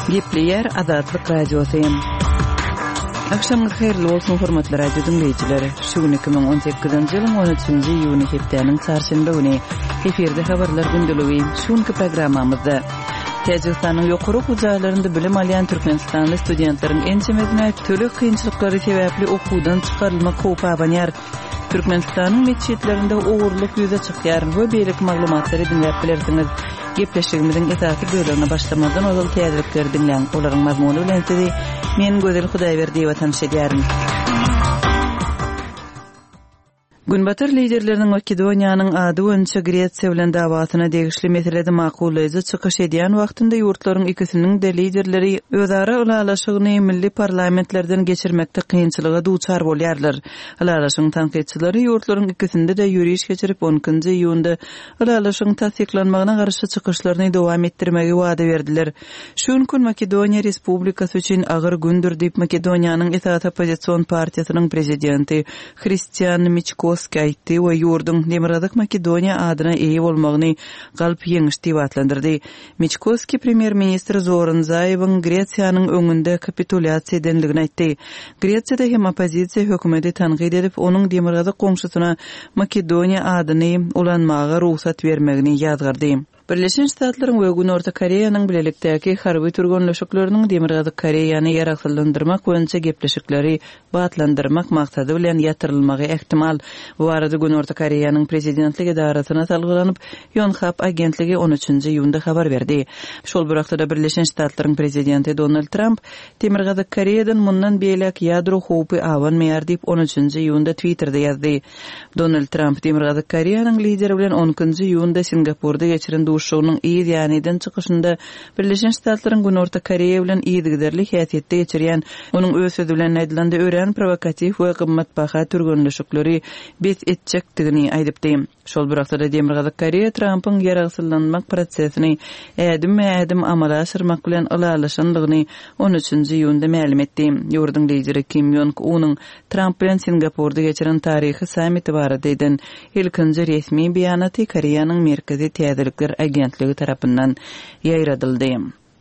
Gepleýär Azatlyk Radiosy. Agşamyňyz haýyrly bolsun, hormatly radio diňleýjiler. Şu gün 2018-nji ýylyň 13-nji iýuny hepdäniň çarşenbe güni. Efirde habarlar gündeligi. Şu günki programmamyzda Täjigistanyň ýokary okuw jaýlarynda bilim alýan türkmenistanly studentleriň ençemesine töleg kynçylyklary sebäpli okuwdan çykarylmak howpy abanýar. Türkmenistanyň metjitlerinde ogurlyk ýüze çykýar we beýleki maglumatlary diňläp bilersiňiz. Gepleşigimiziň esasy bölegine başlamazdan ozal täzelikleri diňläň. Olaryň mazmuny bilen sizi men Gözel Hudaýberdiýewa tanyş edýärin. Günbatar liderleriniň Makedoniýanyň ady boýunça Gresiýa bilen dawasyna degişli meselede makullaýjy çykyş edýän wagtynda ýurtlaryň ikisiniň-de liderleri özara ylalaşygyny milli parlamentlerden geçirmekde kynçylyga duçar bolýarlar. Ylalaşygyň tankytçylary ýurtlaryň ikisinde-de ýöriş geçirip, on ikinji iýunda ylalaşygyň tassyklanmagyna garşy çykyşlaryny dowam etdirmegi wada berdiler. Şu günki gün Makedoniýa Respublikasy üçin agyr gündür diýip, Makedoniýanyň esasy oppozision partiýasynyň prezidenti Hristian Miçkoski aýtdy we ýurduň Demirgazyk Makedoniýa adyna eýe bolmagyny galp ýeňiş diýip atlandyrdy. Miçkoski premýer-ministr Zoran Zaýewiň Gresiýanyň öňünde kapitulýasiýa edendigini aýtdy. Gresiýada hem oppozisiýa hökümeti tankyt edip, onuň demirgazyk goňşusyna Makedoniýa adyny ulanmaga rugsat bermegini ýazgardy. Birleşen Ştatlaryň we Günorta Koreýanyň bilelikdäki harby türgenleşikleriniň Demirgazyk Koreýany ýaragsyzlandyrmak boýunça gepleşikleri batlandyrmak maksady bilen ýatyrylmagy ähtimal. Bu barada Günorta Koreýanyň prezidentlik edarasyna salgylanyp, Ýonhap agentligi on üçünji iýunda habar berdi. Şol bir wagtda-da Birleşen Ştatlaryň prezidenti Donald Tramp Demirgazyk Koreýadan mundan beýläk ýadro howpy abanmaýar diýip, on üçünji iýunda Twitterde ýazdy. Donald Tramp Demirgazyk Koreýanyň lideri bilen on ikinji iýunda Singapurda geçiren duşuşygynyň yz ýany eden çykyşynda Birleşen Ştatlaryň Günorta Koreýa bilen yzygiderli häsiýetde geçirýän, onuň öz sözi bilen aýdylanda, örän prowokatiw we gymmatbaha türgenleşikleri bes etjekdigini aýdypdy. Şol bir wagtda-da Demirgazyk Koreýa Trampyň ýaragsyzlanmak prosesini ädimme-ädim amala aşyrmak bilen ylalaşandygyny on üçünji iýunda mälim etdi. Ýurduň lideri Kim Ýong Unyň Tramp bilen Singapurda geçiren taryhy sammiti barada eden ilkinji resmi beýanaty Koreýanyň Merkezi täzelikler agentligi tarapyndan ýaýradyldy.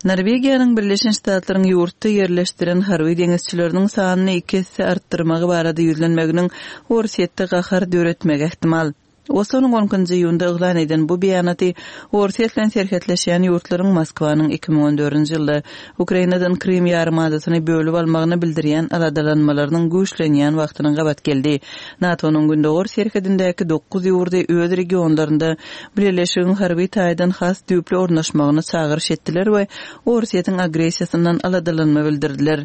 Norwegiýanyň Birleşen Ştatlaryň ýurtda ýerleşdiren harby deňizçileriniň sanyny iki esse artdyrmagy barada ýüzlenmeginiň Orsýetde gahar döretmegi ähtimal. Oslonyň on ikinji iýunda yglan eden bu beýanaty Orsýet bilen serhetleşýän ýurtlaryň Moskwanyň 2014-nji ýylda Ukrainadan Krym ýarymadasyny bölüp almagyna bildirýän aladalanmalarynyň güýçlenýän wagtyna gabat geldi. NATO-nyň gündogar serhedindäki dokuz ýurdy öz regionlarynda bileleşigiň harby taýdan has düýpli ornaşmagyna çagyryş etdiler we Orsýetiň agressiýasyndan aladalanma bildirdiler.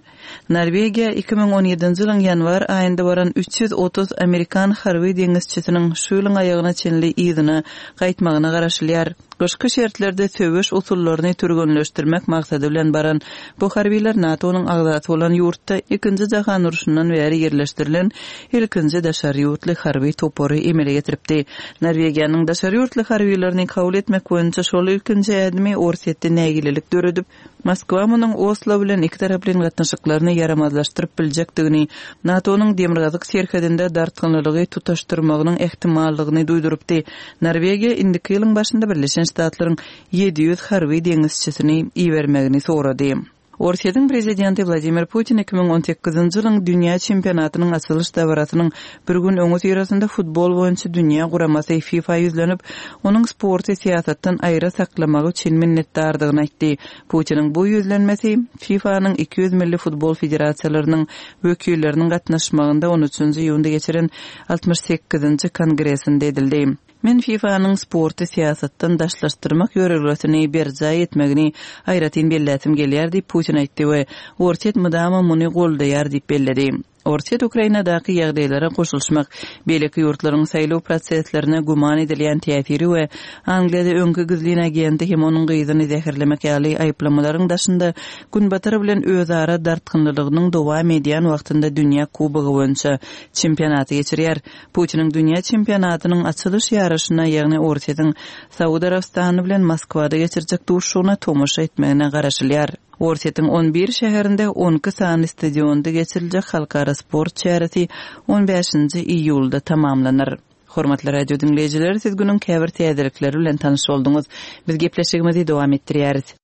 Norwegiýa 2017-nji ýylyň ýanwar aýynda baran 330 amerikan harby deňizçisiniň şu ýylyň aýagyna çenli yzyna gaýtmagyna garaşylýar. Gyşky şertlerde söweş usullaryny türgenleşdirmek maksady bilen baran bu harbylar NATO-nyň agzasy bolan ýurtda Ikinji jahan urşundan bäri ýerleşdirilen ilkinji daşary ýurtly harby topary emele getiripdi. Norwegiýanyň daşary ýurtly harbylaryny kabul etmek boýunça şol ilkinji ädimi Orsýetde nägilelik döredip, Moskwa munuň Oslo bilen ikitaraplaýyn gatnaşyklaryny ýaramazlaşdyryp biljekdigini, NATO-nyň demirgazyk serhedinde dartgynlylygy tutaşdyrmagynyň ähtimallygyny duýdurypdy. Norwegiýa indiki ýylyň başynda Birleşen Ştatlaryň 700 harby deňizçisini ibermegini sorady. Orsýetiň prezidenti Wladimir Putin 2018-nji ýylyň dünýä çempionatynyň açylyş dabarasynyň bir gün öňüsyrasynda futbol boýunça dünýä guramasy FIFA ýüzlenip, onuň sporty syýasatdan aýra saklamagy üçin minnetdardygyny aýtdy. Putiniň bu ýüzlenmesi FIFA-nyň 200 milli futbol federasiýalarynyň wekilleriniň gatnaşmagynda on üçünji iýunda geçiren altmyş sekizinji kongresinde edildi. Men FIFA-nyň sporty syýasatdan daşlaşdyrmak ýörelgesini berjaý etmegini aýratyn belläsim gelýär diýip, Putin aýtdy we Orsýet mydama muny goldaýar diýip belledi. Orsýet Ukrainadaky ýagdaýlara goşulyşmak, beýleki ýurtlaryň saýlaw proseslerine güman edilýän täsiri we Angliýada öňki gizlin agenti hem onuň gyzyny zäherlemek ýaly aýyplamalaryň daşynda Günbatar bilen özara dartgynlylygynyň dowam edýän wagtynda dünýä kubogy boýunça çempionaty geçirýär. Putiniň dünýä çempionatynyň açylyş ýaryşyna, ýagny Orsýetiň Saud Arabystany bilen Moskwada geçirjek duşuşygyna tomaşa etmegine garaşylýar. Orsýetiň on bir şäherinde on iki sany stadionda geçiriljek halkara sport çäresi on bäşinji iýulda tamamlanar. Hormatly radio diňleýjiler, siz günüň käbir täzelikleri bilen tanyş bolduňyz. Biz gepleşigimizi dowam etdirýäris.